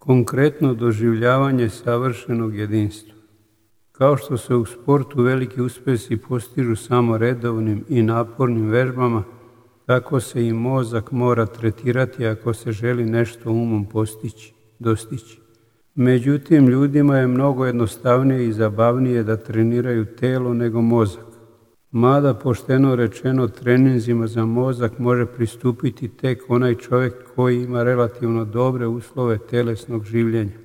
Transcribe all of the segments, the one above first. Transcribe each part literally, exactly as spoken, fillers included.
Konkretno doživljavanje savršenog jedinstva. Kao što se u sportu veliki uspjesi postižu samo redovnim i napornim vežbama, tako se i mozak mora tretirati ako se želi nešto umom postići, dostići. Međutim, ljudima je mnogo jednostavnije i zabavnije da treniraju telo nego mozak. Mada, pošteno rečeno, treninzima za mozak može pristupiti tek onaj čovjek koji ima relativno dobre uslove telesnog življenja,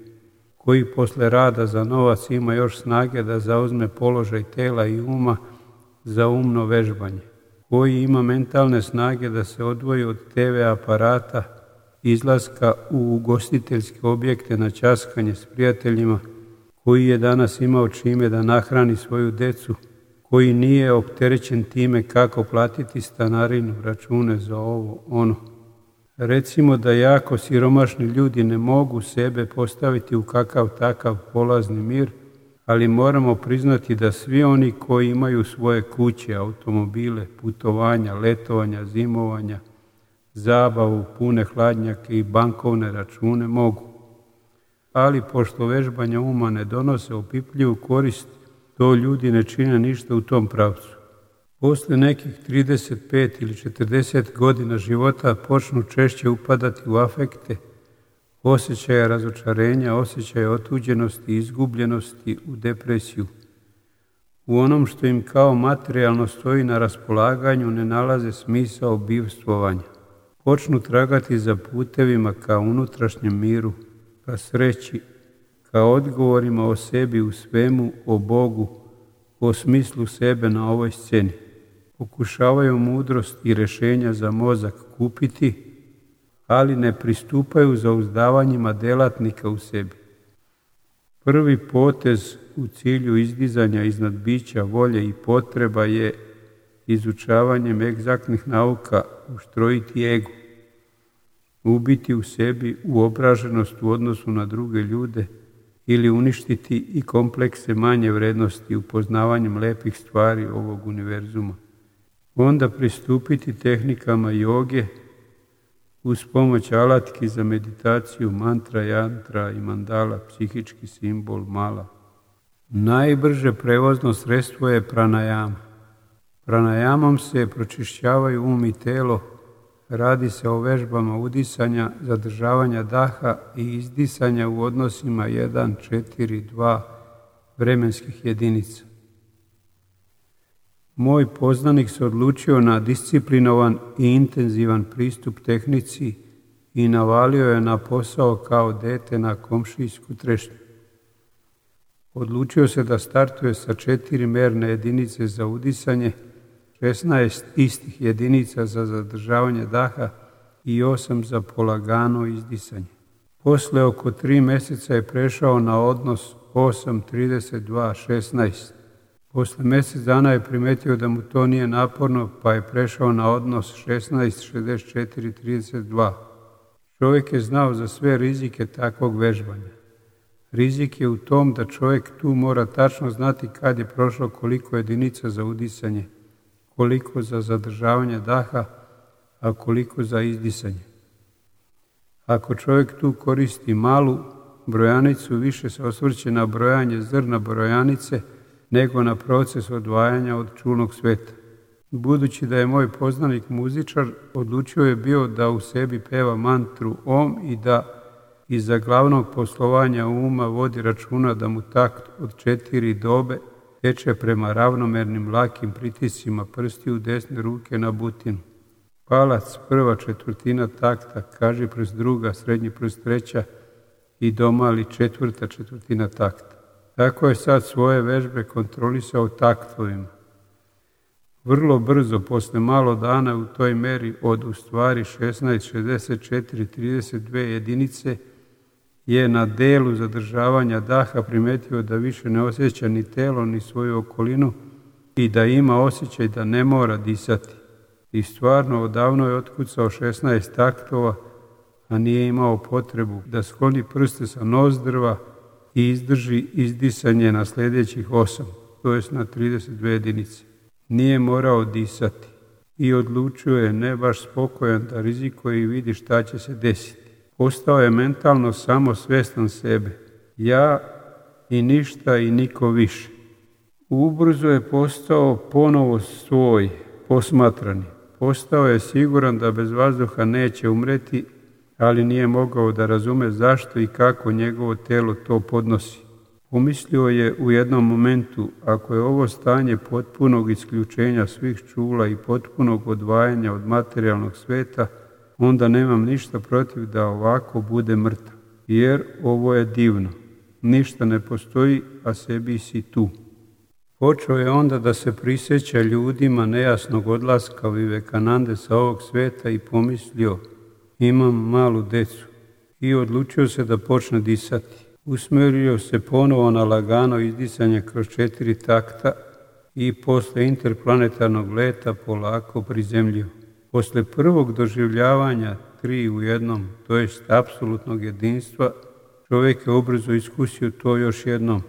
koji posle rada za novac ima još snage da zauzme položaj tela i uma za umno vežbanje, koji ima mentalne snage da se odvoji od te ve aparata, izlaska u ugostiteljske objekte na ćaskanje s prijateljima, koji je danas imao čime da nahrani svoju decu, koji nije opterećen time kako platiti stanarinu, račune za ovo, ono. Recimo da jako siromašni ljudi ne mogu sebe postaviti u kakav takav polazni mir, ali moramo priznati da svi oni koji imaju svoje kuće, automobile, putovanja, letovanja, zimovanja, zabavu, pune hladnjake i bankovne račune mogu. Ali pošto vežbanja uma ne donose opipljivu korist, to ljudi ne čine ništa u tom pravcu. Posle nekih trideset pet ili četrdeset godina života počnu češće upadati u afekte, osjećaja razočarenja, osjećaja otuđenosti, izgubljenosti, u depresiju. U onom što im kao materijalno stoji na raspolaganju ne nalaze smisao bivstvovanja. Počnu tragati za putevima ka unutrašnjem miru, ka sreći, ka odgovorima o sebi u svemu, o Bogu, o smislu sebe na ovoj sceni. Pokušavaju mudrost i rješenja za mozak kupiti, ali ne pristupaju zauzdavanjima delatnika u sebi. Prvi potez u cilju izdizanja iznad bića, volje i potreba je izučavanjem egzaktnih nauka uštrojiti ego, ubiti u sebi uobraženost u odnosu na druge ljude ili uništiti i komplekse manje vrednosti upoznavanjem lepih stvari ovog univerzuma. Onda pristupiti tehnikama joge uz pomoć alatki za meditaciju, mantra, jantra i mandala, psihički simbol, mala. Najbrže prevozno sredstvo je pranajama. Pranajamom se pročišćavaju um i telo, radi se o vežbama udisanja, zadržavanja daha i izdisanja u odnosima jedan, četiri, dva vremenskih jedinica. Moj poznanik se odlučio na disciplinovan i intenzivan pristup tehnici i navalio je na posao kao dete na komšijsku trešnju. Odlučio se da startuje sa četiri merne jedinice za udisanje, šesnaest istih jedinica za zadržavanje daha i osam za polagano izdisanje. Posle oko tri mjeseca je prešao na odnos osam, trideset dva, šesnaest. Posle mjesec dana je primetio da mu to nije naporno, pa je prešao na odnos šesnaest, šezdeset četiri, trideset dva. Čovjek je znao za sve rizike takvog vežbanja. Rizik je u tom da čovjek tu mora tačno znati kad je prošlo koliko jedinica za udisanje, koliko za zadržavanje daha, a koliko za izdisanje. Ako čovjek tu koristi malu brojanicu, više se osvrće na brojanje zrna brojanice nego na proces odvajanja od čulnog sveta. Budući da je moj poznanik muzičar, odlučio je bio da u sebi peva mantru Om i da iza glavnog poslovanja uma vodi računa da mu takt od četiri dobe teče prema ravnomernim lakim pritiscima prstiju desne ruke na butinu. Palac prva četvrtina takta, kaži prst druga, srednji prst treća i domali četvrta četvrtina takta. Tako je sad svoje vežbe kontrolisao taktovima. Vrlo brzo, posle malo dana u toj meri od u stvari šesnaest, šezdeset četiri, trideset dve jedinice, je na delu zadržavanja daha primetio da više ne osjeća ni telo ni svoju okolinu i da ima osjećaj da ne mora disati. I stvarno odavno je otkucao šesnaest taktova, a nije imao potrebu da skloni prste sa nozdrva i izdrži izdisanje na sljedećih osam, to jest na trideset dve jedinice. Nije morao disati i odlučio je ne baš spokojan da rizikuje i vidi šta će se desiti. Postao je mentalno samo svjestan sebe. Ja i ništa i niko više. Ubrzo je postao ponovo svoj, posmatrani. Postao je siguran da bez vazduha neće umreti, ali nije mogao da razume zašto i kako njegovo telo to podnosi. Pomislio je u jednom momentu, ako je ovo stanje potpunog isključenja svih čula i potpunog odvajanja od materijalnog sveta, onda nemam ništa protiv da ovako bude mrtav. Jer ovo je divno. Ništa ne postoji, a sebi si tu. Počeo je onda da se prisjeća ljudima nejasnog odlaska Vivekanande sa ovog sveta i pomislio, imam malu decu. I odlučio se da počne disati. Usmjerio se ponovo na lagano izdisanje kroz četiri takta i posle interplanetarnog leta polako prizemljio. Posle prvog doživljavanja tri u jednom, to jest apsolutnog jedinstva, čovjek je ubrzo iskusio to još jednom.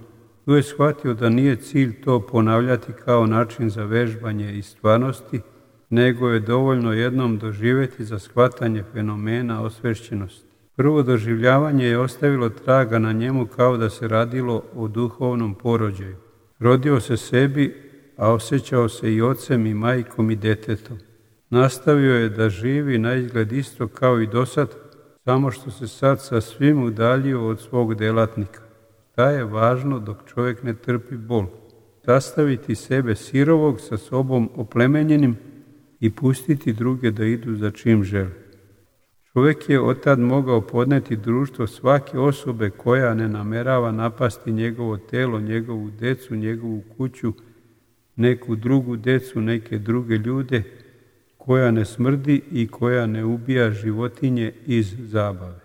Tu je shvatio da nije cilj to ponavljati kao način za vežbanje i stvarnosti, nego je dovoljno jednom doživjeti za shvatanje fenomena osvešćenosti. Prvo doživljavanje je ostavilo traga na njemu kao da se radilo o duhovnom porođaju. Rodio se sebi, a osjećao se i ocem i majkom i detetom. Nastavio je da živi na izgled isto kao i dosad, samo što se sad sa svim udaljio od svog delatnika. Šta je važno dok čovjek ne trpi bol? Sastaviti sebe sirovog sa sobom oplemenjenim i pustiti druge da idu za čim žele. Čovjek je otad mogao podneti društvo svake osobe koja ne namerava napasti njegovo telo, njegovu decu, njegovu kuću, neku drugu decu, neke druge ljude, koja ne smrdi i koja ne ubija životinje iz zabave.